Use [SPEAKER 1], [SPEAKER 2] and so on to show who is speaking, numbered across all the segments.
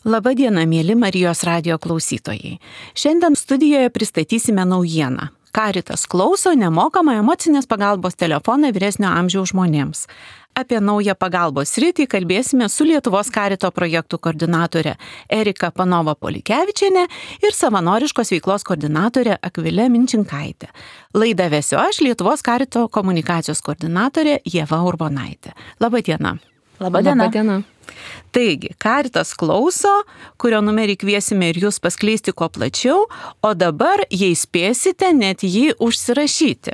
[SPEAKER 1] Labadiena, mėly Marijos radijo klausytojai. Šiandien studijoje pristatysime naujieną. Caritas klauso nemokamą emocinės pagalbos telefoną vyresnio amžiaus žmonėms. Apie naują pagalbos sritį kalbėsime su Lietuvos Carito projektų koordinatorė Erika Panova-Polikevičienė ir savanoriškos veiklos koordinatorė Akvilė Minčinkaitė. Laidą vesiu aš, Lietuvos Carito komunikacijos koordinatorė Ieva Urbonaitė. Labadiena.
[SPEAKER 2] Labadiena.
[SPEAKER 1] Taigi, Caritas klauso, kurio numerį kviesime ir jūs paskleisti kuo plačiau, o dabar, jei spėsite, net jį užsirašyti.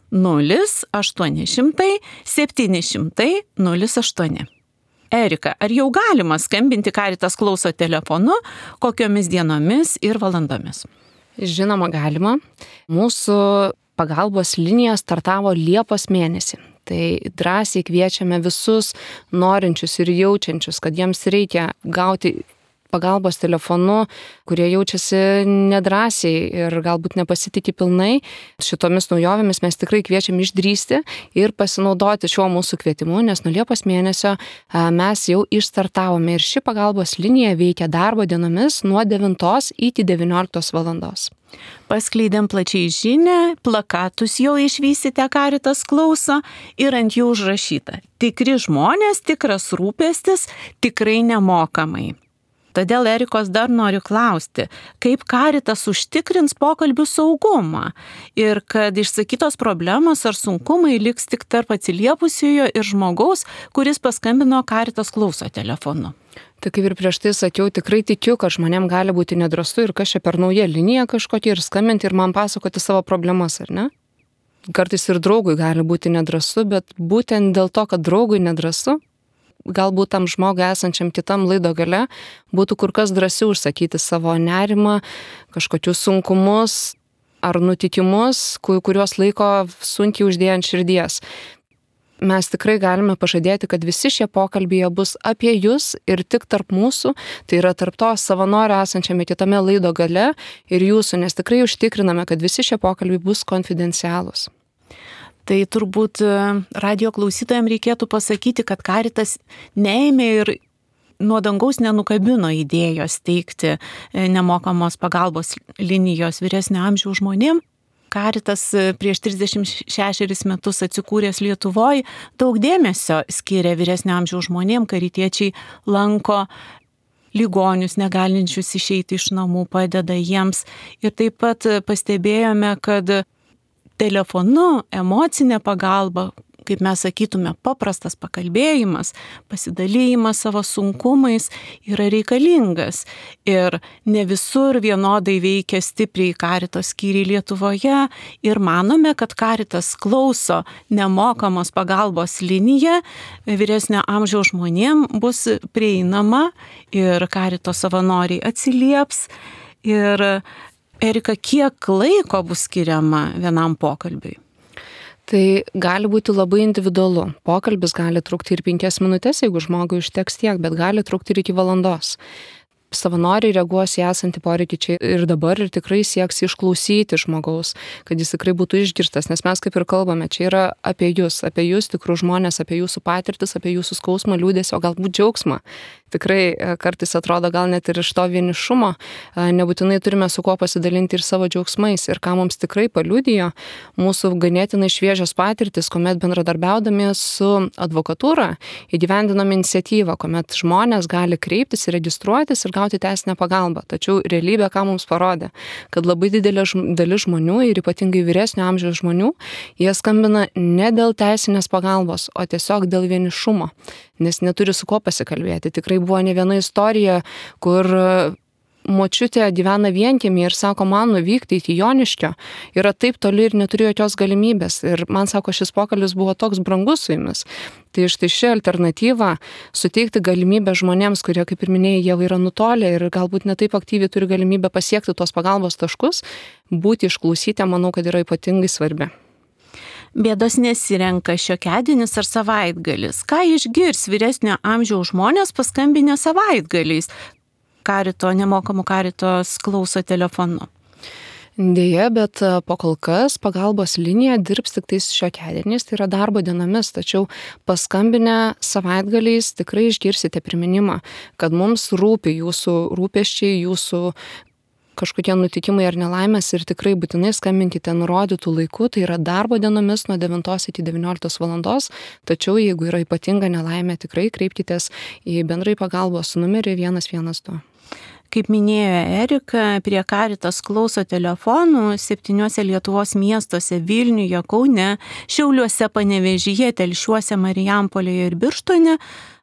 [SPEAKER 1] 0800 700 08. Erika, ar jau galima skambinti Caritas klauso telefonu, kokiomis dienomis ir valandomis?
[SPEAKER 2] Žinoma, galima. Mūsų pagalbos linija startavo Liepos mėnesį. Tai drąsiai kviečiame visus norinčius ir jaučiančius, kad jiems reikia gauti pagalbos telefonu, kurie jaučiasi nedrąsiai ir galbūt nepasitikė pilnai. Šitomis naujovėmis mes tikrai kviečiam išdrįsti ir pasinaudoti šiuo mūsų kvietimu, nes nuo Liepos mėnesio mes jau išstartavome ir ši pagalbos linija veikia darbo dienomis nuo 9 iki 19 valandos.
[SPEAKER 1] Paskleidėm plačiai žinią, plakatus jau išvysite Caritas klauso ir ant jų užrašyta: tikri žmonės, tikras rūpestis, tikrai nemokamai. Todėl Erikos dar noriu klausti, kaip Caritas užtikrins pokalbių saugumą ir kad išsakytos problemos ar sunkumai liks tik tarp atsiliepusiojo ir žmogaus, kuris paskambino Caritas klauso telefonu.
[SPEAKER 2] Tai kaip ir prieš tai sakiau, tikrai tikiu, kad žmonėm gali būti nedrąsu ir kas čia per nauja linija kažkokia ir skambinti ir man pasakoti savo problemas, ar ne? Kartais ir draugui gali būti nedrąsu, bet būtent dėl to, kad draugui nedrąsu, galbūt tam žmogui esančiam kitam laido gale būtų kur kas drąsiau užsakyti savo nerimą, kažkokius sunkumus ar nutikimus, kuriuos laiko sunkiai uždėję ant širdies. Mes tikrai galime pažadėti, kad visi šie pokalbiai bus apie jūs ir tik tarp mūsų, tai yra tarp to savanorio esančiame kitame laido gale ir jūsų, nes tikrai užtikriname, kad visi šie pokalbiai bus konfidencialūs.
[SPEAKER 1] Tai turbūt radio klausytojams reikėtų pasakyti, kad Caritas neėmė ir nuo dangaus nenukabino idėjos teikti nemokamos pagalbos linijos vyresnio amžiaus žmonėms. Caritas prieš 36 metus atsikūręs Lietuvoje daug dėmesio skiria vyresnio amžiaus žmonėms, karitiečiai lanko ligonius, negalinčius išeiti iš namų, padeda jiems. Ir taip pat pastebėjome, kad telefonu emocinė pagalba, kaip mes sakytume, paprastas pakalbėjimas, pasidalymas savo sunkumais yra reikalingas. Ir ne visur vienodai veikia stipriai Caritas skyriai Lietuvoje ir manome, kad Caritas klauso nemokamos pagalbos linija vyresnio amžiaus žmonėm bus prieinama ir Carito savanoriai atsilieps. Ir Erika, kiek laiko bus skiriama vienam pokalbiui?
[SPEAKER 2] Tai gali būti labai individualu. Pokalbis gali trukti ir 5 minutės, jeigu žmogui užteks tiek, bet gali trukti ir iki valandos. Savanoriai reaguos į esantį poreikį čia ir dabar ir tikrai sieks išklausyti žmogaus, kad jis tikrai būtų išgirstas, nes mes kaip ir kalbame, čia yra apie jūs tikrų žmonės, apie jūsų patirtis, apie jūsų skausmą, liūdesį, o galbūt džiaugsmą. Tikrai kartais atrodo gal net ir iš to vienišumo, nebūtinai turime su kuo pasidalinti ir savo džiaugsmais. Ir ką mums tikrai paliudijo mūsų ganėtinai šviežios patirtis, kuomet bendradarbiaudami su advokatūra įgyvendinome iniciatyvą, kuomet žmonės gali kreiptis ir registruotis ir gauti teisinę pagalbą. Tačiau realybė ką mums parodė, kad labai didelė dalis žmonių ir ypatingai vyresnio amžiaus žmonių, jie skambina ne dėl teisinės pagalbos, o tiesiog dėl vienišumo, nes neturi su kuo pasikalbėti. Tikrai buvo ne viena istorija, kur močiutė gyvena vienkiemį ir sako, man nuvykti iki Joniškio yra taip toli ir neturiu jokios galimybės. Ir man sako, šis pokalbis buvo toks brangus su jumis. Tai štai ši alternatyva suteikti galimybę žmonėms, kurie, kaip ir minėjai, jau yra nutolę ir galbūt netaip aktyviai turi galimybę pasiekti tos pagalbos taškus, būti išklausyti, manau, kad yra ypatingai svarbi.
[SPEAKER 1] Bėdos nesirenka šiokiadienis ar savaitgalis. Ką išgirs vyresnio amžiaus žmonės paskambinę savaitgaliais Carito, nemokamų Caritos klauso telefonu?
[SPEAKER 2] Deja, bet po kol kas pagalbos linija dirbs tik tais šiokiadieniais, tai yra darbo dienomis, tačiau paskambinę savaitgaliais tikrai išgirsite priminimą, kad mums rūpi jūsų rūpesčiai, jūsų kažkokie nutikimai ar nelaimės ir tikrai būtinai skambinkite nurodytų laiku, tai yra darbo dienomis nuo 9 iki 19 valandos, tačiau jeigu yra ypatinga nelaimė, tikrai kreipkitės į bendrai pagalbos numerį 112.
[SPEAKER 1] Kaip minėjo Erika, prie Caritas klauso telefonų 7 Lietuvos miestuose - Vilniuje, Kaune, Šiauliuose, Panevėžyje, Telšiuose, Marijampolėje ir Birštone.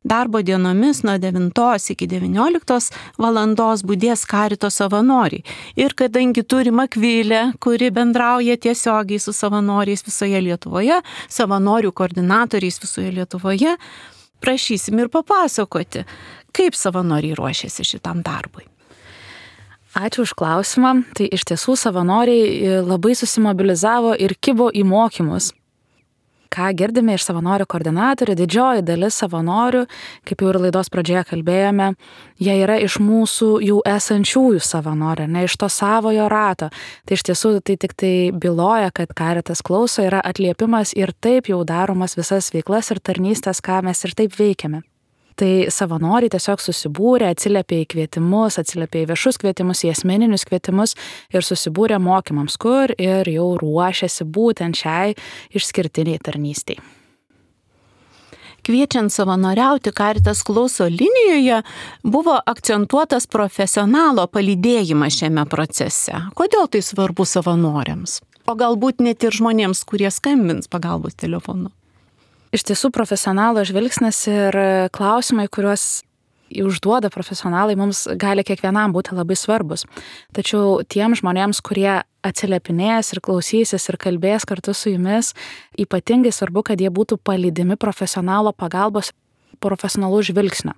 [SPEAKER 1] Darbo dienomis nuo 9 iki 19 valandos budės Carito savanoriai. Ir kadangi turim Akvilę, kuri bendrauja tiesiogiai su savanoriais visoje Lietuvoje, savanorių koordinatoriais visoje Lietuvoje, prašysim ir papasakoti, kaip savanoriai ruošiasi šitam darbui.
[SPEAKER 3] Ačiū už klausimą. Tai iš tiesų savanoriai labai susimobilizavo ir kibo į mokymus. Ką girdime iš savanorių koordinatorių, didžioji dalis savanorių, kaip jau ir laidos pradžioje kalbėjome, jie yra iš mūsų jau esančiųjų savanorių, ne iš to savojo rato. Tai iš tiesų tai tik tai byloja, kad Caritas klauso yra atliepimas ir taip jau daromas visas veiklas ir tarnystės, ką mes ir taip veikiame. Tai savanoriai tiesiog susibūrė, atsiliepė į kvietimus, atsiliepė į viešus kvietimus, į asmeninius kvietimus ir susibūrė mokymams, kur ir jau ruošiasi būtent šiai išskirtiniai tarnystei.
[SPEAKER 1] Kviečiant savanoriauti Caritas klauso linijoje buvo akcentuotas profesionalo palydėjimas šiame procese. Kodėl tai svarbu savanoriams? O galbūt net ir žmonėms, kurie skambins pagalbos telefonu?
[SPEAKER 3] Iš tiesų profesionalo žvilgsnis ir klausimai, kuriuos užduoda profesionalai, mums gali kiekvienam būti labai svarbus. Tačiau tiem žmonėms, kurie atsiliepinės ir klausysis ir kalbės kartu su jumis, ypatingai svarbu, kad jie būtų palydimi profesionalo pagalbos profesionalų žvilgsnio.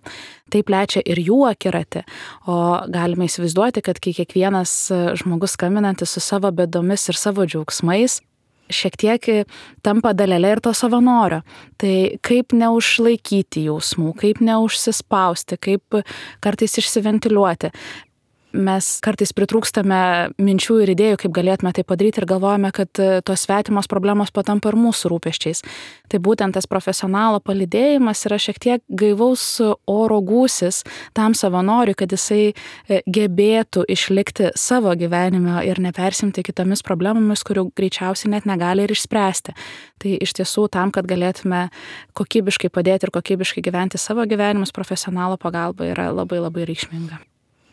[SPEAKER 3] Tai plečia ir jų akiratį, o galime įsivaizduoti, kad kai kiekvienas žmogus skambinantis su savo bėdomis ir savo džiaugsmais, šiek tiek tampa dalelė ir to savanorio. Tai kaip neužlaikyti jausmų, kaip neužsispausti, kaip kartais išsiventiliuoti. Mes kartais pritrūkstame minčių ir idėjų, kaip galėtume tai padaryti ir galvojame, kad tos svetimos problemos patampa ir mūsų rūpesčiais. Tai būtent tas profesionalo palydėjimas yra šiek tiek gaivaus oro gūsis tam savanoriui, kad jisai gebėtų išlikti savo gyvenime ir nepersimti kitomis problemomis, kurių greičiausiai net negali ir išspręsti. Tai iš tiesų tam, kad galėtume kokybiškai padėti ir kokybiškai gyventi savo gyvenimus, profesionalo pagalba yra labai labai reikšminga.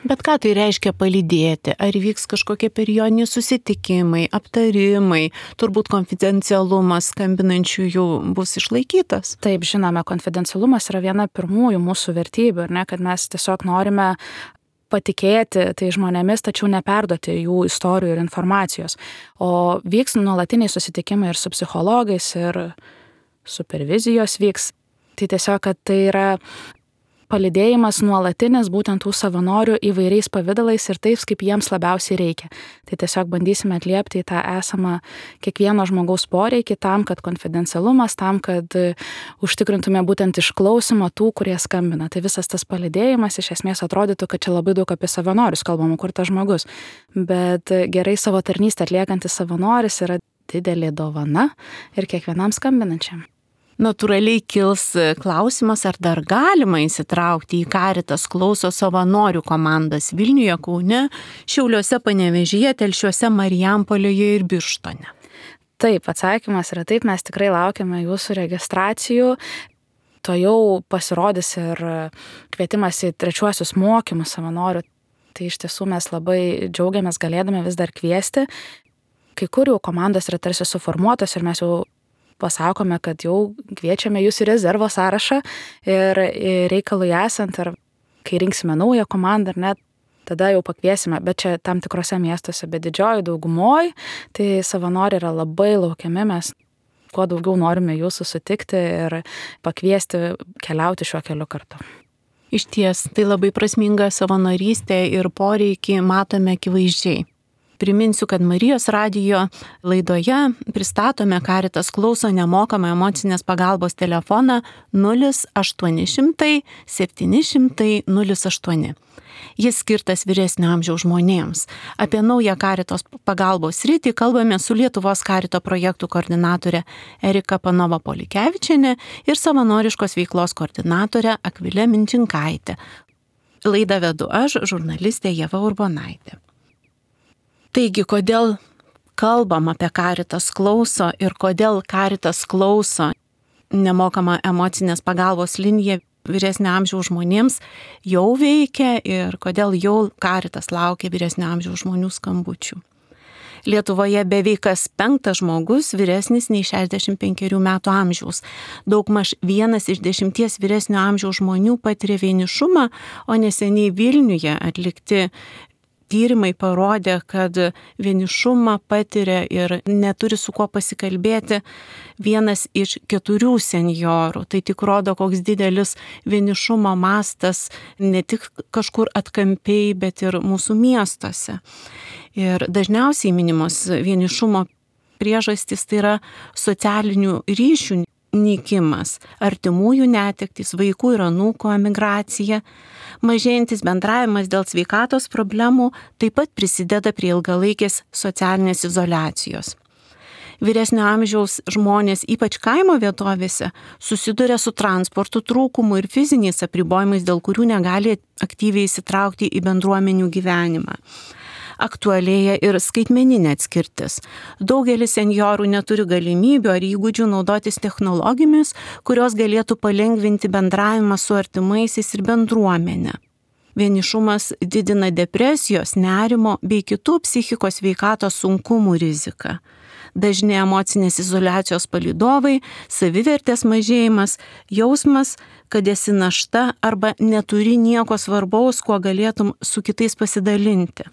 [SPEAKER 1] Bet ką tai reiškia palydėti? Ar vyks kažkokie periodiniai susitikimai, aptarimai, turbūt konfidencialumas skambinančiųjų bus išlaikytas?
[SPEAKER 3] Taip, žinome, konfidencialumas yra viena pirmųjų mūsų vertybių, ne, kad mes tiesiog norime patikėti tai žmonėmis, tačiau neperduoti jų istorijų ir informacijos. O vyks nuolatiniai susitikimai ir su psichologais, ir supervizijos vyks. Tai tiesiog, kad tai yra palydėjimas nuolatinis būtent tų savanorių įvairiais pavidalais ir taip, kaip jiems labiausiai reikia. Tai tiesiog bandysime atliepti į tą esamą kiekvieno žmogaus poreikį tam, kad konfidencialumas, tam, kad užtikrintume būtent išklausimą tų, kurie skambina. Tai visas tas palydėjimas iš esmės atrodytų, kad čia labai daug apie savanorius kalbama, kur tas žmogus. Bet gerai savo tarnystę atliekantis savanoris yra didelė dovana ir kiekvienam skambinančiam.
[SPEAKER 1] Natūraliai kils klausimas, ar dar galima įsitraukti į Caritas klauso savanorių komandas Vilniuje, Kaune, Šiauliuose, Panevėžyje, Telšiuose, Marijampolėje ir Birštone.
[SPEAKER 3] Taip, atsakymas yra taip, mes tikrai laukiame jūsų registracijų. To jau pasirodys ir kvietimas į trečiuosius mokymus savanorių. Tai iš tiesų mes labai džiaugiamės galėdami vis dar kviesti. Kai kur jau komandos yra tarsi suformuotos ir mes jau pasakome, kad jau kviečiame jūs į rezervo sąrašą ir reikalui esant, ar kai rinksime naują komandą, ar net, tada jau pakviesime, bet čia tam tikrose miestuose, bet didžioji daugumoj, tai savanoriai yra labai laukiami, mes kuo daugiau norime jūsų sutikti ir pakviesti keliauti šiuo keliu kartu.
[SPEAKER 1] Iš ties, tai labai prasminga savanorystė ir poreikį matome akivaizdžiai. Priminsiu, kad Marijos radijo laidoje pristatome Caritas klauso nemokamą emocinės pagalbos telefoną 0800 700 08. Jis skirtas vyresnio amžiaus žmonėms. Apie naują Caritos pagalbos sritį kalbame su Lietuvos Carito projektų koordinatorė Erika Panova-Polikevičienė ir savanoriškos veiklos koordinatorė Akvilė Minčinkaitė. Laidą vedu aš, žurnalistė Ieva Urbonaitė. Taigi, kodėl kalbam apie Caritas klauso ir kodėl Caritas klauso nemokama emocinės pagalbos linija vyresnio amžiaus žmonėms jau veikia ir kodėl jau Caritas laukia vyresnio amžiaus žmonių skambučių. Lietuvoje beveik kas 5 žmogus vyresnis nei 65 metų amžiaus. Daugmaž 1 iš 10 vyresnio amžiaus žmonių patiria vienišumą, o neseniai Vilniuje atlikti tyrimai parodė, kad vienišumą patiria ir neturi su kuo pasikalbėti 1 iš 4 senjorų. Tai tik rodo, koks didelis vienišumo mastas ne tik kažkur atkampiai, bet ir mūsų miestuose. Ir dažniausiai minimos vienišumo priežastys tai yra socialinių ryšių nykimas, artimųjų netektys, vaikų ir anūkų emigracija. Mažėjantis bendravimas dėl sveikatos problemų taip pat prisideda prie ilgalaikės socialinės izoliacijos. Vyresnio amžiaus žmonės, ypač kaimo vietovėse, susiduria su transporto trūkumu ir fiziniais apribojimais, dėl kurių negali aktyviai įsitraukti į bendruomenių gyvenimą. Aktualėja ir skaitmeninė atskirtis. Daugelis senjorų neturi galimybių ar įgūdžių naudotis technologijomis, kurios galėtų palengvinti bendravimą su artimaisiais ir bendruomenė. Vienišumas didina depresijos, nerimo bei kitų psichikos sveikatos sunkumų riziką. Dažni emocinės izoliacijos palydovai, savivertės mažėjimas, jausmas, kad esi našta arba neturi nieko svarbaus, kuo galėtum su kitais pasidalinti.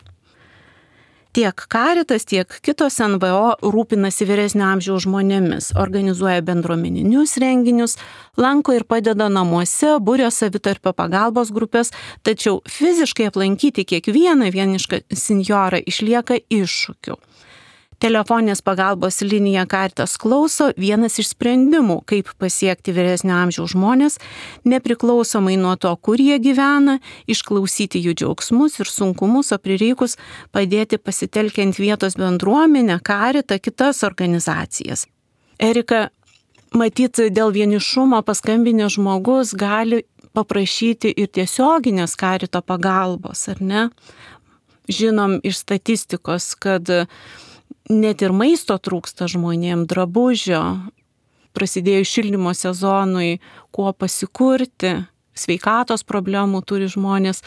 [SPEAKER 1] Tiek Caritas, tiek kitos NVO rūpinasi vyresnio amžiaus žmonėmis, organizuoja bendruomeninius renginius, lanko ir padeda namuose, buria savitarpio pagalbos grupės, tačiau fiziškai aplankyti kiekvieną vienišką senjorą išlieka iššūkių. Telefoninės pagalbos linija Caritas klauso vienas iš sprendimų, kaip pasiekti vyresnio amžiaus žmonės, nepriklausomai nuo to, kur jie gyvena, išklausyti jų džiaugsmus ir sunkumus, o prireikus padėti pasitelkiant vietos bendruomenę, Caritą, kitas organizacijas. Erika, matyt, dėl vienišumo paskambinęs žmogus gali paprašyti ir tiesioginės Carito pagalbos, ar ne? Žinom iš statistikos, kad net ir maisto trūksta žmonėm, drabužio, prasidėjus šildymo sezonui, kuo pasikurti, sveikatos problemų turi žmonės.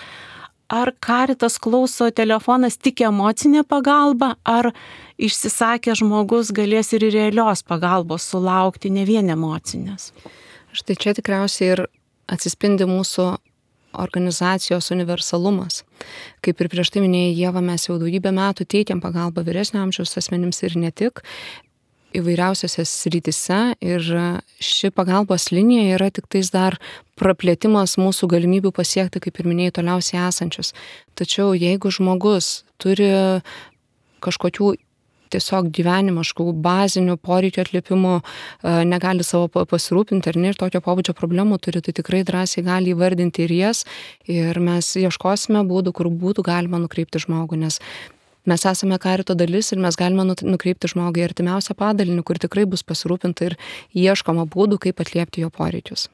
[SPEAKER 1] Ar Caritas klauso telefonas tik emocinė pagalba, ar išsisakę žmogus galės ir realios pagalbos sulaukti, ne vien emocinės?
[SPEAKER 2] Štai čia tikriausiai ir atsispindi mūsų organizacijos universalumas. Kaip ir prieš tai minėjai, Ieva, mes jau daugybę metų teikiam pagalbą vyresnio amžiaus asmenims ir ne tik įvairiausiose srityse, ir ši pagalbos linija yra tik tais dar praplėtimas mūsų galimybių pasiekti, kaip ir minėjai, toliausiai esančius. Tačiau jeigu žmogus turi kažkokių tiesiog gyvenimiškų bazinių poreikių atliepimų, negali savo pasirūpinti ar ne, ir tokio pobūdžio problemų turi, tai tikrai drąsiai gali įvardinti ir jas, ir mes ieškosime būdų, kur būtų galima nukreipti žmogų, nes mes esame Carito dalis ir mes galime nukreipti žmogų į artimiausią padalinį, kur tikrai bus pasirūpinta ir ieškoma būdų, kaip atliepti jo poreikius.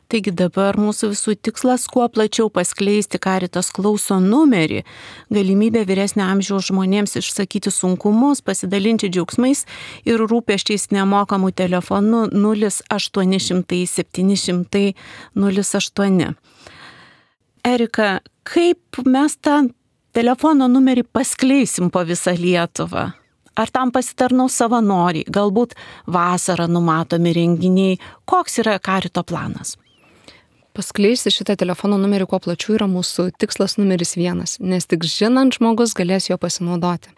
[SPEAKER 1] Taigi dabar mūsų visų tikslas kuo plačiau paskleisti Caritas klauso numerį, galimybę vyresnio amžiaus žmonėms išsakyti sunkumus, pasidalinti džiaugsmais ir rūpesčiais nemokamų telefonu 0800 700 08. Erika, kaip mes tą telefono numerį paskleisim po visą Lietuvą? Ar tam pasitarnaus savanoriai, galbūt vasarą numatomi renginiai? Koks yra Carito planas?
[SPEAKER 2] Paskleisti šitą telefono numerį kuo plačiau yra mūsų tikslas numeris 1, nes tik žinant žmogus galės jo pasinaudoti.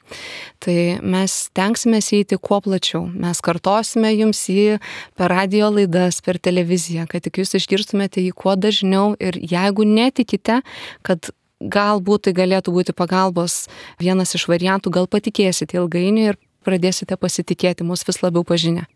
[SPEAKER 2] Tai mes tenksimės eiti kuo plačiau. Mes kartosime jums jį per radio laidas, per televiziją, kad tik jūs išgirstumėte jį kuo dažniau, ir jeigu netikite, kad galbūt tai galėtų būti pagalbos vienas iš variantų, gal patikėsite ilgainiui ir pradėsite pasitikėti mus vis labiau pažinę.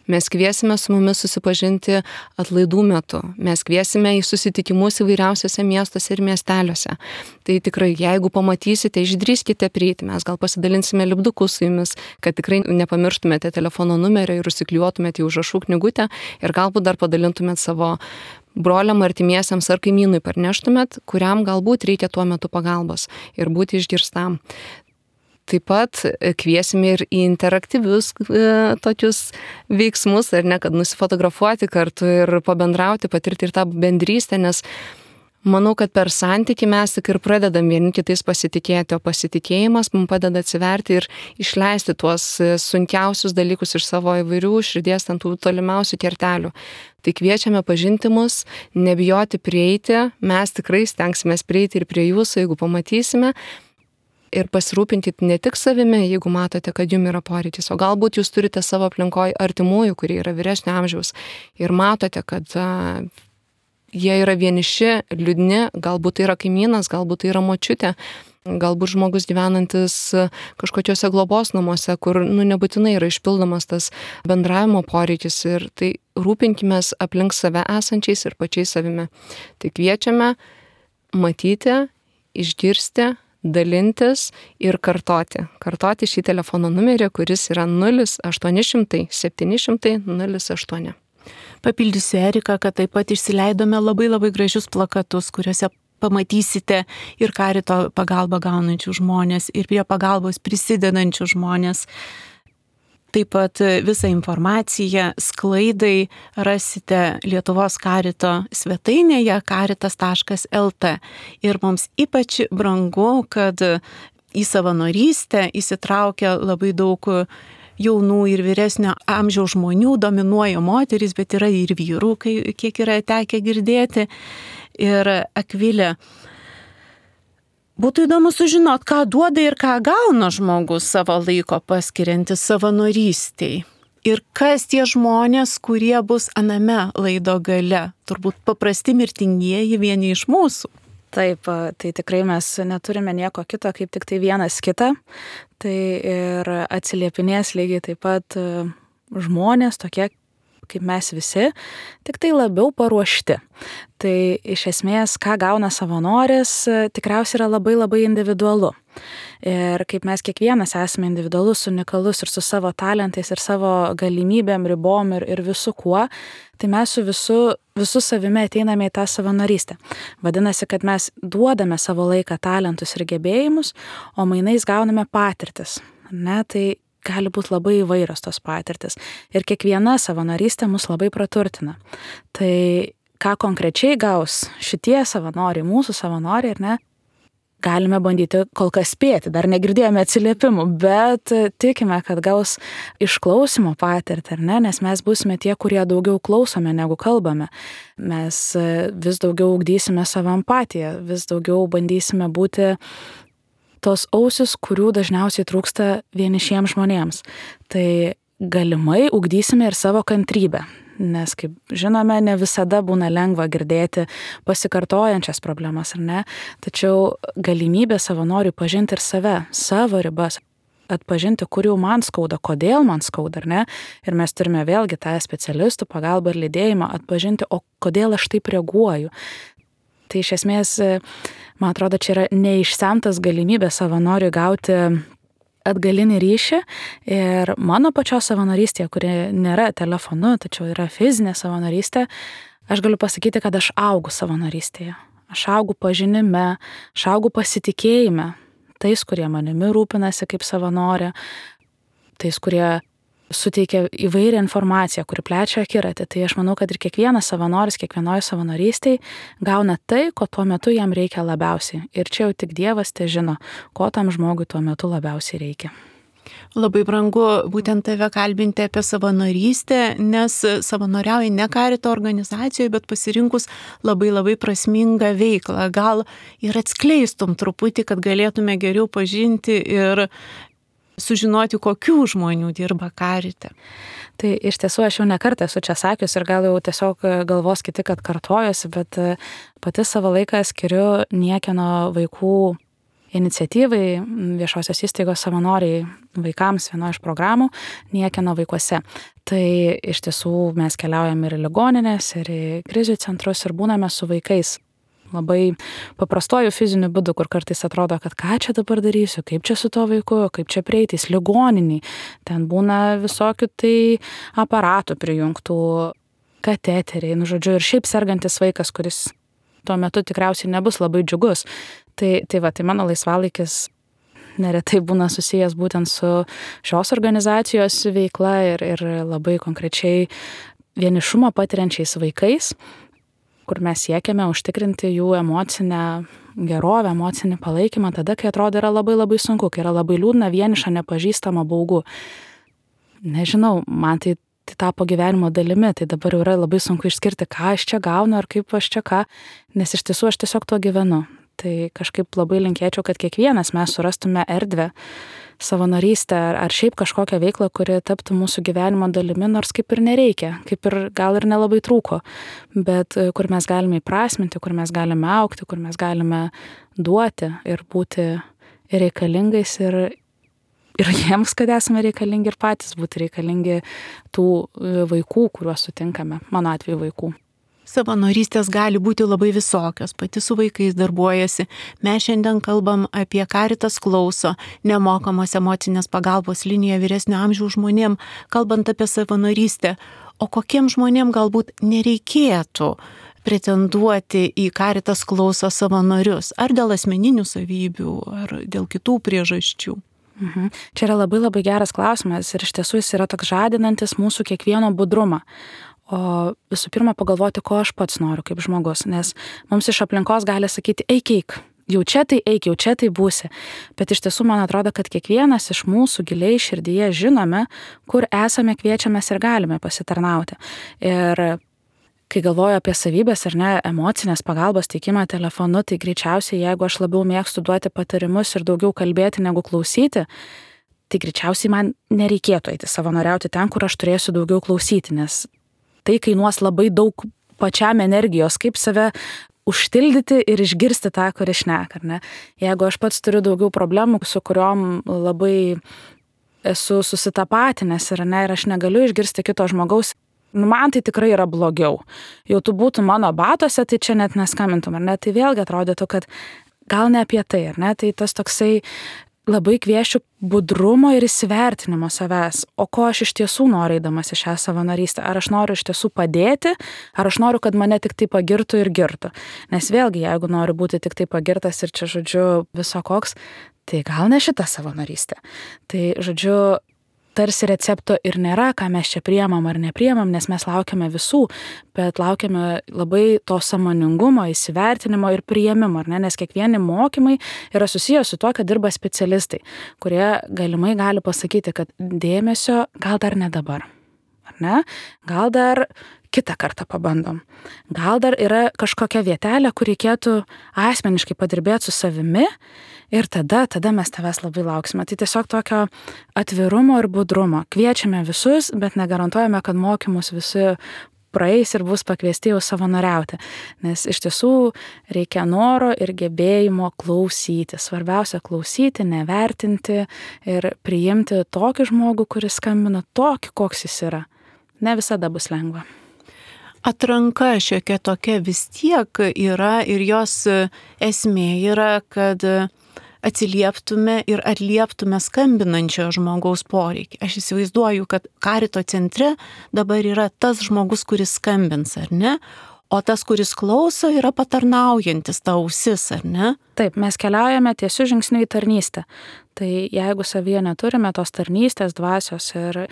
[SPEAKER 2] Mes kviesime su mumis susipažinti atlaidų metu. Mes kviesime į susitikimus įvairiausiose miestuose ir miesteliuose. Tai tikrai, jeigu pamatysite, išdrįskite prieiti, mes gal pasidalinsime lipdukus su jumis, kad tikrai nepamirštumėte telefono numerio ir užsiklijuotumėte į užrašų knygutę ir galbūt dar padalintumėte savo broliam, artimiesiams ar kaimynui parneštumėt, kuriam galbūt reikia tuo metu pagalbos ir būti išgirstam. Taip pat kviesime ir į interaktyvius tokius veiksmus, ar ne, kad nusifotografuoti kartu ir pabendrauti, patirti ir tą bendrystę, nes manau, kad per santykį mes tik ir pradedam vieni kitais pasitikėti, o pasitikėjimas mums padeda atsiverti ir išleisti tuos sunkiausius dalykus iš savo įvairių širdies ant tų tolimiausių kertelių. Tai kviečiame pažinti mus, nebijoti prieiti, mes tikrai stengsime prieiti ir prie jūsų, jeigu pamatysime. Ir pasirūpinti ne tik savimi, jeigu matote, kad jums yra poreikis, o galbūt jūs turite savo aplinkoje artimųjų, kurie yra vyresnio amžiaus ir matote, kad jie yra vieniši, liūdni, galbūt tai yra kaimynas, galbūt tai yra močiutė, galbūt žmogus gyvenantis kažkokiuose globos namuose, kur nebūtinai yra išpildomas tas bendravimo poreikis ir tai rūpinkimės aplink save esančiais ir pačiais savimi. Tai kviečiame matyti, išgirsti, dalintis ir kartoti. Kartoti šį telefono numerį, kuris yra 0800 700 08.
[SPEAKER 1] Papildysiu Eriką, kad taip pat išsileidome labai gražius plakatus, kuriuose pamatysite ir Karito pagalbą gaunančių žmonės, ir prie pagalbos prisidedančių žmonės. Taip pat visą informaciją sklaidai rasite Lietuvos Karito svetainėje caritas.lt. Ir mums ypač brangu, kad į savanorystę įsitraukia labai daug jaunų ir vyresnio amžiaus žmonių, dominuoja moterys, bet yra ir vyrų, kiek yra tekę girdėti. Ir Akvilė, būtų įdomu sužinot, ką duoda ir ką gauna žmogus savo laiko paskiriantis savanorystiai. Ir kas tie žmonės, kurie bus aname laido gale. Turbūt paprasti mirtingieji vieni iš mūsų.
[SPEAKER 3] Taip, tai tikrai mes neturime nieko kito, kaip tik tai vienas kitą. Tai ir atsiliepinės lygiai taip pat žmonės tokie kaip mes visi, tik tai labiau paruošti. Tai iš esmės, ką gauna savanoris, tikriausiai yra labai individualu. Ir kaip mes kiekvienas esame individualus, unikalus ir su savo talentais ir savo galimybėm, ribom ir visu kuo, tai mes su visu savimi ateiname į tą savanorystę. Vadinasi, kad mes duodame savo laiką, talentus ir gebėjimus, o mainais gauname patirtis. Ne, tai gali būti labai įvairios tos patirtis. Ir kiekviena savanorystė mus labai praturtina. Tai ką konkrečiai gaus šitie savanoriai, mūsų savanoriai, ar ne, galime bandyti kol kas spėti. Dar negirdėjome atsiliepimų, bet tikime, kad gaus išklausimo patirtį, ar ne, nes mes būsime tie, kurie daugiau klausome negu kalbame. Mes vis daugiau ugdysime savo empatiją, vis daugiau bandysime būti tos ausis, kurių dažniausiai trūksta vienišiems žmonėms. Tai galimai ugdysime ir savo kantrybę, nes, kaip žinome, ne visada būna lengva girdėti pasikartojančias problemas, ar ne? Tačiau galimybė savanoriui pažinti ir save, savo ribas, atpažinti, kur jau man skauda, kodėl man skauda, ar ne? Ir mes turime vėlgi tą specialistų pagalbą ir lydėjimą atpažinti, o kodėl aš taip reaguoju. Tai iš esmės, man atrodo, čia yra neišsemtas galimybė savanoriui gauti atgalinį ryšį ir mano pačios savanorystė, kuri nėra telefonu, tačiau yra fizinė savanorystė, aš galiu pasakyti, kad aš augu savanorystėje. Aš augu pažinime, aš augu pasitikėjime tais, kurie manimi rūpinasi kaip savanorė, tais, kurie suteikia įvairią informaciją, kuri plečia akiratį. Tai aš manau, kad ir kiekvienas savanoris, kiekvienoje savanorystėje gauna tai, ko tuo metu jam reikia labiausiai. Ir čia jau tik Dievas te žino, ko tam žmogui tuo metu labiausiai reikia.
[SPEAKER 1] Labai brangu būtent tave kalbinti apie savanorystę, nes savanoriauji ne Karito organizacijoje, bet pasirinkus labai prasmingą veiklą. Gal ir atskleistum truputį, kad galėtume geriau pažinti ir sužinoti, kokių žmonių dirba karite.
[SPEAKER 3] Tai iš tiesų aš jau nekartą esu čia sakius ir gal jau tiesiog galvos kiti, kad kartojuosi, bet pati savo laiką skiriu niekieno vaikų iniciatyvai, viešosios įstaigos savanoriai vaikams vienoje iš programų niekieno vaikuose. Tai iš tiesų mes keliaujam ir į ligoninės, ir į krizių centrus ir būname su vaikais labai paprastuoju fiziniu būdu, kur kartais atrodo, kad ką čia dabar darysiu, kaip čia su to vaiku, kaip čia prieitys, ligoniniai. Ten būna visokių tai aparatų prijungtų, kateteriai, žodžiu, ir šiaip sergantis vaikas, kuris tuo metu tikriausiai nebus labai džiugus. Tai mano laisvalaikis neretai būna susijęs būtent su šios organizacijos veikla ir labai konkrečiai vienišumą patiriančiais vaikais, kur mes siekiame užtikrinti jų emocinę gerovę, emocinį palaikymą tada, kai atrodo yra labai labai sunku, kai yra labai liūdna, vieniša, nepažįstama, baugu. Nežinau, man tai tapo gyvenimo dalimi, tai dabar jau yra labai sunku išskirti, ką aš čia gaunu ar kaip aš čia ką, nes iš tiesų aš tiesiog tuo gyvenu. Tai kažkaip labai linkėčiau, kad kiekvienas mes surastume erdvę, savanorystę ar šiaip kažkokią veiklą, kuri taptų mūsų gyvenimo dalimi, nors kaip ir nereikia, kaip ir gal ir nelabai trūko, bet kur mes galime įprasminti, kur mes galime augti, kur mes galime duoti ir būti reikalingais ir jiems, kad esame reikalingi ir patys būti reikalingi tų vaikų, kuriuos sutinkame, mano atveju vaikų.
[SPEAKER 1] Savanorystės gali būti labai visokios, pati su vaikais darbuojasi. Mes šiandien kalbam apie Caritas klauso, nemokamos emocinės pagalbos liniją vyresnio amžiaus žmonėm, kalbant apie savanorystę. O kokiem žmonėm galbūt nereikėtų pretenduoti į Caritas klauso savanorius, ar dėl asmeninių savybių, ar dėl kitų priežasčių?
[SPEAKER 3] Čia yra labai labai geras klausimas ir iš tiesų jis yra toks žadinantis mūsų kiekvieno budrumą. O visų pirma pagalvoti, ko aš pats noriu kaip žmogus, nes mums iš aplinkos gali sakyti, eik, jau čia tai eik, jau čia tai būsi. Bet iš tiesų man atrodo, kad kiekvienas iš mūsų giliai širdyje žinome, kur esame, kviečiamės ir galime pasitarnauti. Ir kai galvoju apie savybės ar ne, emocinės pagalbos teikimą telefonu, tai greičiausiai, jeigu aš labiau mėgstu duoti patarimus ir daugiau kalbėti negu klausyti, tai greičiausiai man nereikėtų eiti savanoriauti ten, kur aš turėsiu daugiau klausyti, nes tai kainuos labai daug pačiam energijos, kaip save užtildyti ir išgirsti tą, kurį šneka, ar ne? Jeigu aš pats turiu daugiau problemų, su kuriom labai esu susitapatinęs, ar ne, ir aš negaliu išgirsti kito žmogaus, man tai tikrai yra blogiau. Jau tu būtum mano batose, tai čia net neskambintum, ar ne? Tai vėlgi atrodytų, kad gal ne apie tai, ar ne? Tai tas toksai labai kviesčiau budrumo ir įsivertinimo savęs, o ko aš iš tiesų noriu eidamas į šią savanorystę. Ar aš noriu iš tiesų padėti, ar aš noriu, kad mane tik tai pagirtų ir girtų. Nes vėlgi, jeigu noriu būti tik tai pagirtas ir čia, žodžiu, viso koks, tai gal ne šita savanorystė. Tai, žodžiu, tarsi recepto ir nėra, ką mes čia priemam ar nepriemam, nes mes laukiame visų, bet laukiame labai to sąmoningumo, įsivertinimo ir priėmimo, ar ne? Nes kiekvieni mokymai yra susijęs su tuo, kad dirba specialistai, kurie galimai gali pasakyti, kad dėmesio gal dar ne dabar, ar ne? Gal dar kitą kartą pabandom. Gal dar yra kažkokia vietelė, kur reikėtų asmeniškai padirbėti su savimi ir tada mes tavęs labai lauksime. Tai tiesiog tokio atvirumo ir budrumo. Kviečiame visus, bet negarantuojame, kad mokymus visi praeis ir bus pakviesti jau savanoriauti. Nes iš tiesų reikia noro ir gebėjimo klausyti. Svarbiausia klausyti, nevertinti ir priimti tokį žmogų, kuris skambina, tokį, koks jis yra. Ne visada bus lengva.
[SPEAKER 1] Atranka šiokia tokia vis tiek yra ir jos esmė yra, kad atsilieptume ir atlieptume skambinančio žmogaus poreikį. Aš įsivaizduoju, kad Carito centre dabar yra tas žmogus, kuris skambins, ar ne? O tas, kuris klauso, yra patarnaujantis, ta ausis, ar ne?
[SPEAKER 3] Taip, mes keliaujame tiesiu žingsniu į tarnystę. Tai jeigu savyje neturime tos tarnystės dvasios ir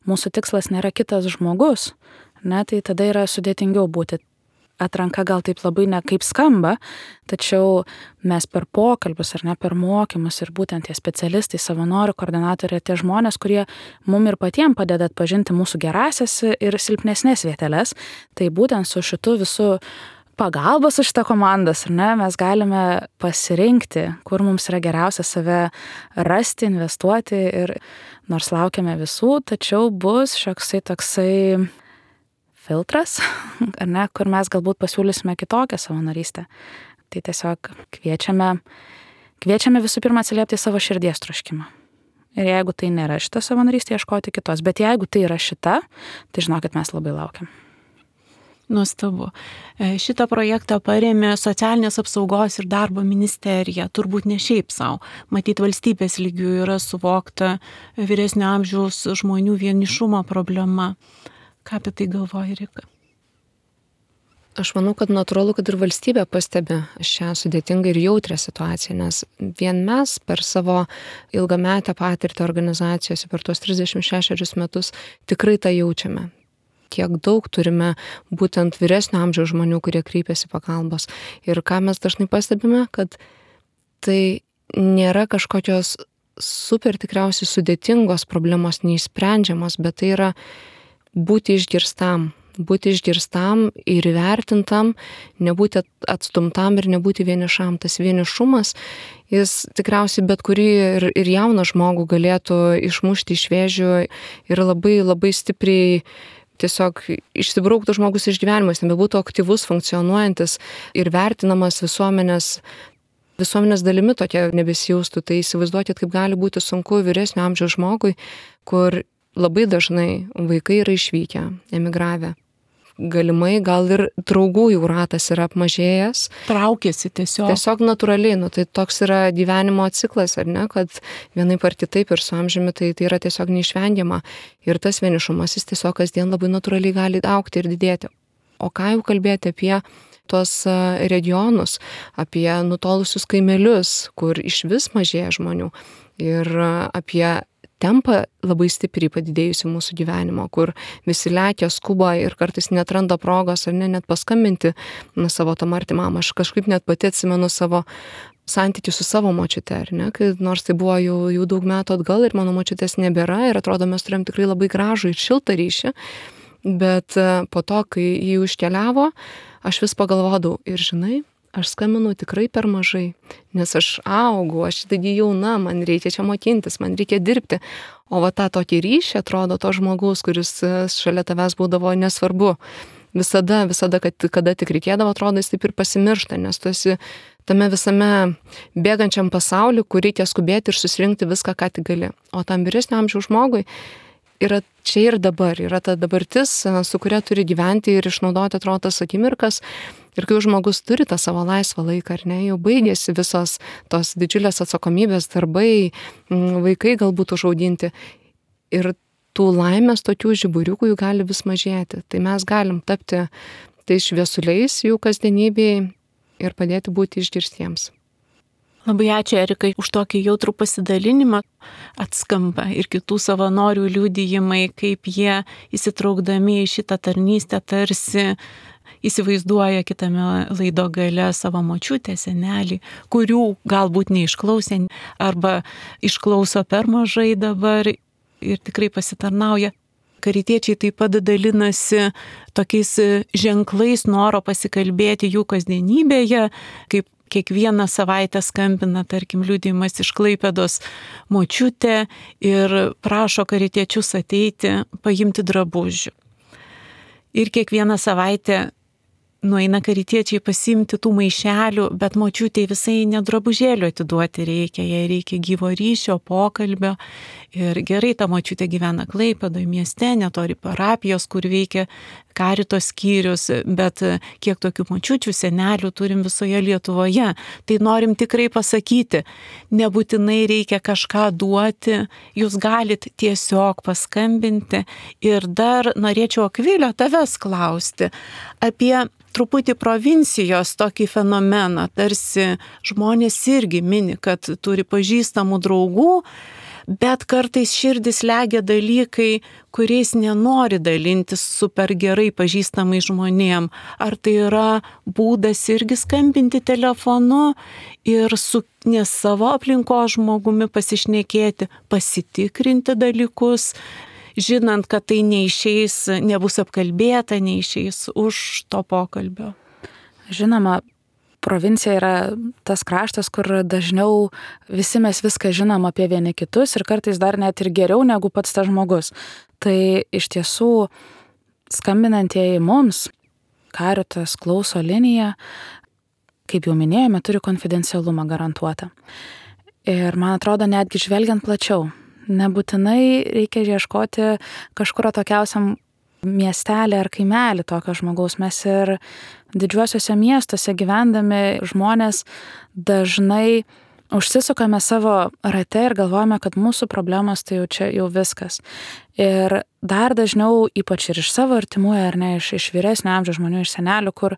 [SPEAKER 3] mūsų tikslas nėra kitas žmogus, ne, tai tada yra sudėtingiau būti. Atranka gal taip labai ne kaip skamba, tačiau mes per pokalbius ar ne per mokymus ir būtent tie specialistai, savanorių, koordinatoriai, tie žmonės, kurie mum ir patiem padeda atpažinti mūsų gerasias ir silpnesnės vieteles, tai būtent su šitu visų pagalbos už šitą komandas, ar ne, mes galime pasirinkti, kur mums yra geriausia save rasti, investuoti ir nors laukiame visų, tačiau bus šioksai toksai filtras, ar ne, kur mes galbūt pasiūlysime kitokią savanorystę. Tai tiesiog kviečiame visų pirma atsiliepti savo širdies troškimą. Ir jeigu tai nėra šita savanorystė, ieškoti kitos. Bet jeigu tai yra šita, tai žinokit, mes labai laukiam.
[SPEAKER 1] Nuostabu. Šitą projektą parėmė Socialinės apsaugos ir darbo ministerija, turbūt ne šiaip savo. Matyt, valstybės lygių yra suvokta vyresnio amžiaus žmonių vienišumo problema. Ką apie tai galvoji, Rika?
[SPEAKER 2] Aš manau, kad natūralu, kad ir valstybė pastebi šią sudėtingą ir jautrią situaciją, nes vien mes per savo ilgametę patirtį organizacijose per tuos 36 metus tikrai tą jaučiame. Kiek daug turime būtent vyresnio amžiaus žmonių, kurie kreipiasi pagalbos. Ir ką mes dažnai pastebime, kad tai nėra kažkokios super tikriausiai sudėtingos problemos, neišsprendžiamos, bet tai yra būti išgirstam ir įvertintam, nebūti atstumtam ir nebūti vienišam. Tas vienišumas, jis tikriausiai bet kurį ir jauną žmogų galėtų išmušti iš vėžių ir labai, labai stipriai tiesiog išsibrauktų žmogus iš gyvenimo, jis nebebūtų aktyvus, funkcionuojantis ir vertinamas visuomenės dalimi tokia nebesijaustų. Tai įsivaizduokit, kaip gali būti sunku vyresnio amžiaus žmogui, kur labai dažnai vaikai yra išvykę, emigravę. Galimai gal ir draugų jų ratas yra apmažėjęs.
[SPEAKER 1] Traukiasi tiesiog.
[SPEAKER 2] Tiesiog natūraliai, tai toks yra gyvenimo ciklas, ar ne, kad vienaip ar kitaip ir su amžiumi tai yra tiesiog neišvengiama. Ir tas vienišumas jis tiesiog kasdien labai natūraliai gali augti ir didėti. O ką jau kalbėti apie tuos regionus, apie nutolusius kaimelius, kur iš vis mažėja žmonių ir apie tempą labai stipriai padidėjusi mūsų gyvenimo, kur visi lekia, skuba ir kartais netranda progos ar net paskambinti savo tam artimam. Aš kažkaip net pati atsimenu savo santykių su savo močiute, ar ne, kai nors tai buvo jau daug metų atgal ir mano močiutės nebėra ir atrodo mes turėjom tikrai labai gražų ir šiltą ryšį, bet po to, kai jį iškeliavo, aš vis pagalvodavau ir žinai, aš skambinau tikrai per mažai, nes aš augu, aš taigi jauna, man reikia čia mokintis, man reikia dirbti. O va tą tokį ryšį atrodo to žmogaus, kuris šalia tavęs būdavo nesvarbu. Visada, kada tik reikėdavo, atrodo, jis taip ir pasimiršta, nes tu esi tame visame bėgančiam pasauliu, kur reikia skubėti ir susirinkti viską, ką tik gali. O tam vyresnio amžiaus žmogui yra čia ir dabar, yra ta dabartis, su kuria turi gyventi ir išnaudoti, atrodo, tas akimirkas. Ir kai žmogus turi tą savo laisvą laiką, ar ne, jau baigėsi visos tos didžiulės atsakomybės, darbai, vaikai galbūt užauginti. Ir tų laimės tokių žiburiukų jų gali vis mažėti. Tai mes galim tapti tai šviesuliais jų kasdienybėje ir padėti būti išgirstiems.
[SPEAKER 1] Labai ačiū, Erikai, už tokį jautrų pasidalinimą. Atskamba ir kitų savanorių liudijimai, kaip jie įsitraukdami į šitą tarnystę tarsi įsivaizduoja kitame laido gale savo močiutę, senelį, kurių galbūt neišklausė arba išklauso per mažai dabar ir tikrai pasitarnauja. Karitiečiai taip pat dalinasi tokiais ženklais noro pasikalbėti jų kasdienybėje, kaip kiekvieną savaitę skambina, tarkim, liudijimas iš Klaipėdos močiutė ir prašo karitiečius ateiti, paimti drabužių. Ir kiekvieną savaitę nueina karitiečiai pasiimti tų maišelių, bet močiutei visai ne drabužėlių atiduoti reikia, jai reikia gyvo ryšio, pokalbio. Ir gerai, ta močiutė gyvena Klaipėdoje mieste, netoli parapijos, kur veikia karito skyrius, bet kiek tokių močiučių, senelių turim visoje Lietuvoje. Tai norim tikrai pasakyti, nebūtinai reikia kažką duoti, jūs galit tiesiog paskambinti. Ir dar norėčiau, Akvilio, tavęs klausti apie truputį provincijos tokį fenomeną, tarsi žmonės irgi mini, kad turi pažįstamų draugų, bet kartais širdis legia dalykai, kuriais nenori dalintis super gerai pažįstamai žmonėm. Ar tai yra būdas irgi skambinti telefonu ir su ne savo aplinkos žmogumi pasišnekėti, pasitikrinti dalykus, žinant, kad tai neišeis, nebus apkalbėta, neišeis už to pokalbio.
[SPEAKER 3] Žinoma, provincija yra tas kraštas, kur dažniau visi mes viską žinom apie vieni kitus ir kartais dar net ir geriau negu pats tas žmogus. Tai iš tiesų skambinantieji mums, Caritas klauso linija, kaip jau minėjome, turi konfidencialumą garantuotą. Ir man atrodo, netgi žvelgiant plačiau, nebūtinai reikia ieškoti kažkur atokiausiam miestelį ar kaimelį tokio žmogaus. Mes ir didžiuosiuose miestuose gyvendami žmonės dažnai užsisukame savo rate ir galvojame, kad mūsų problemos tai jau čia jau viskas. Ir dar dažniau, ypač ir iš savo artimųjų, ar ne, iš vyresnio amžiaus žmonių, iš senelių, kur,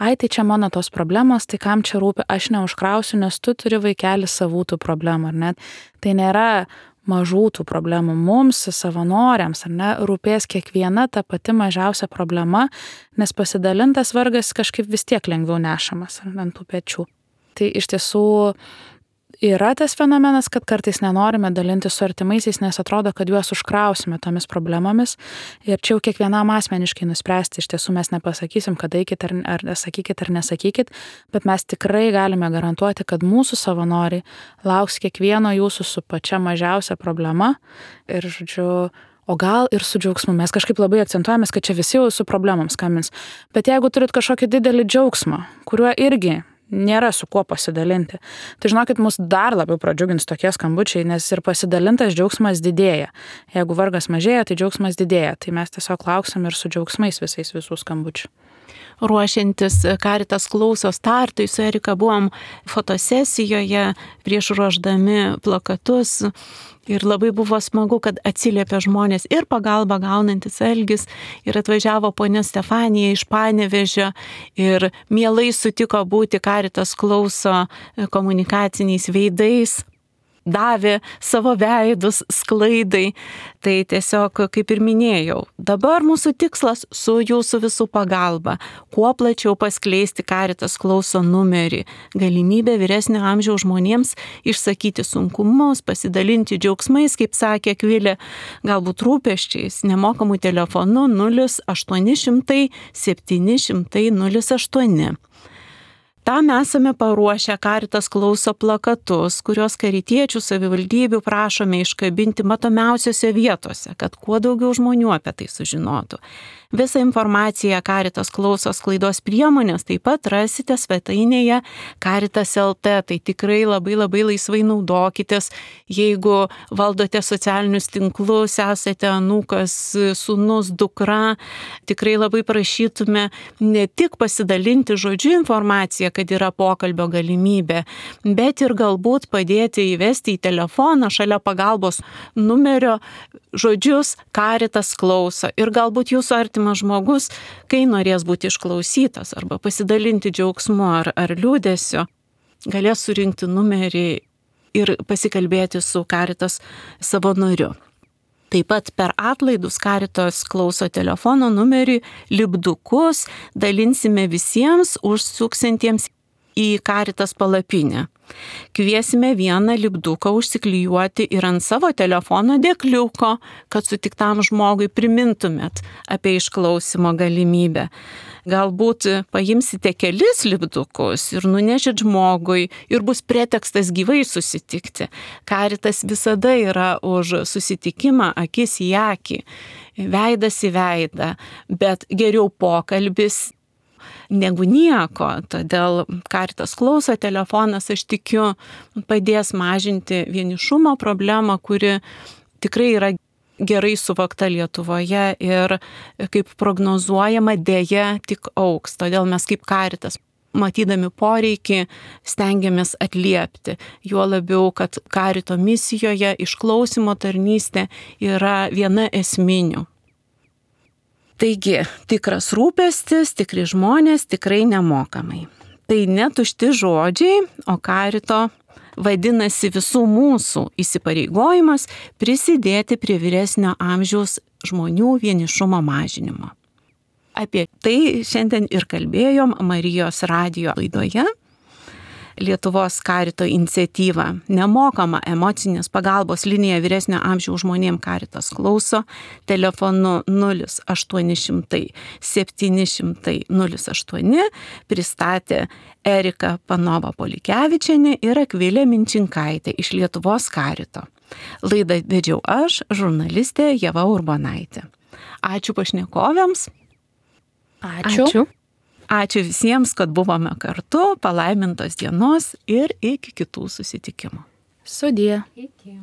[SPEAKER 3] ai, tai čia mano tos problemos, tai kam čia rūpi, aš neužkrausiu, nes tu turi vaikelį savų tų problemų, ar ne. Tai nėra mažų tų problemų. Mums, savanoriams, ar ne, rūpės kiekviena ta pati mažiausia problema, nes pasidalintas vargas kažkaip vis tiek lengviau nešamas ant tų pečių. Tai iš tiesų yra tas fenomenas, kad kartais nenorime dalinti su artimaisiais, nes atrodo, kad juos užkrausime tomis problemomis. Ir čia jau kiekvienam asmeniškai nuspręsti, iš tiesų mes nepasakysim, kad eikit ar sakykit ar nesakykit, bet mes tikrai galime garantuoti, kad mūsų savanoriai lauks kiekvieno jūsų su pačia mažiausia problema. Ir, žodžiu, o gal ir su džiaugsmu. Mes kažkaip labai akcentuojamės, kad čia visi jau su problemom skambins. Bet jeigu turit kažkokį didelį džiaugsmą, kuriuo irgi nėra su kuo pasidalinti, tai žinokit, mus dar labiau pradžiugins tokie skambučiai, nes ir pasidalintas džiaugsmas didėja. Jeigu vargas mažėja, tai džiaugsmas didėja. Tai mes tiesiog lauksim ir su džiaugsmais visais visų skambučių.
[SPEAKER 1] Ruošiantis Caritas klauso startui, su Erika buvom fotosesijoje prieš ruošdami plakatus. Ir labai buvo smagu, kad atsiliepė žmonės ir pagalbą gaunantis Algis, ir atvažiavo ponia Stefanija iš Panevėžio ir mielai sutiko būti Caritas klauso komunikaciniais veidais, davė savo veidus sklaidai. Tai tiesiog, kaip ir minėjau, dabar mūsų tikslas su jūsų visų pagalba, kuo plačiau paskleisti Caritas klauso numerį, galimybę vyresnio amžiaus žmonėms išsakyti sunkumus, pasidalinti džiaugsmais, kaip sakė Akvilė, galbūt rūpesčiais, nemokamų telefonu 0800 700 08. Tam esame paruošę Caritas klauso plakatus, kuriuos karitiečių savivaldybių prašome iškabinti matomiausiose vietose, kad kuo daugiau žmonių apie tai sužinotų. Visą informaciją Caritas klauso sklaidos priemonės taip pat rasite svetainėje Caritas LT. Tai tikrai labai labai laisvai naudokitės, jeigu valdote socialinius tinklus, esate anūkas, sūnus, dukra. Tikrai labai prašytume ne tik pasidalinti žodžiu informaciją, kad yra pokalbio galimybė, bet ir galbūt padėti įvesti į telefoną šalia pagalbos numerio žodžius Caritas klauso. Ir galbūt jūsų artimas žmogus, kai norės būti išklausytas arba pasidalinti džiaugsmu ar liūdesiu, galės surinkti numerį ir pasikalbėti su Caritas savanoriu. Taip pat per atlaidus Caritas klauso telefono numerį lipdukus dalinsime visiems užsuksintiems į Caritas palapinę. Kviesime vieną lipduką užsiklijuoti ir ant savo telefono dėkliuko, kad sutiktam žmogui primintumėt apie išklausimo galimybę. Galbūt paimsite kelis lipdukus ir nunešit žmogui ir bus pretekstas gyvai susitikti. Caritas visada yra už susitikimą akis į akį, veidas į veidą, bet geriau pokalbis negu nieko. Todėl Caritas klauso telefonas, aš tikiu, padės mažinti vienišumo problemą, kuri tikrai yra gerai suvokta Lietuvoje ir kaip prognozuojama dėja tik augs. Todėl mes kaip Caritas, matydami poreikį, stengiamės atliepti. Juo labiau, kad Carito misijoje išklausymo tarnystė yra viena esminių. Taigi, tikras rūpestis, tikri žmonės, tikrai nemokamai. Tai netušti žodžiai, o Carito vadinasi visų mūsų įsipareigojimas prisidėti prie vyresnio amžiaus žmonių vienišumo mažinimo. Apie tai šiandien ir kalbėjom Marijos radijo laidoje. Lietuvos Karito iniciatyvą. Nemokama emocinės pagalbos linija vyresnio amžiaus žmonėms Karitas klauso telefonu 0800 700 08 pristatė Erika Panova Polikevičienė ir Akvilė Minčinkaitė iš Lietuvos Karito. Laidą vedžiau aš, žurnalistė Ieva Urbonaitė. Ačiū pašnekovėms.
[SPEAKER 3] Ačiū.
[SPEAKER 1] Ačiū visiems, kad buvome kartu, palaimintos dienos ir iki kitų susitikimų.
[SPEAKER 3] Sudie.
[SPEAKER 2] Iki.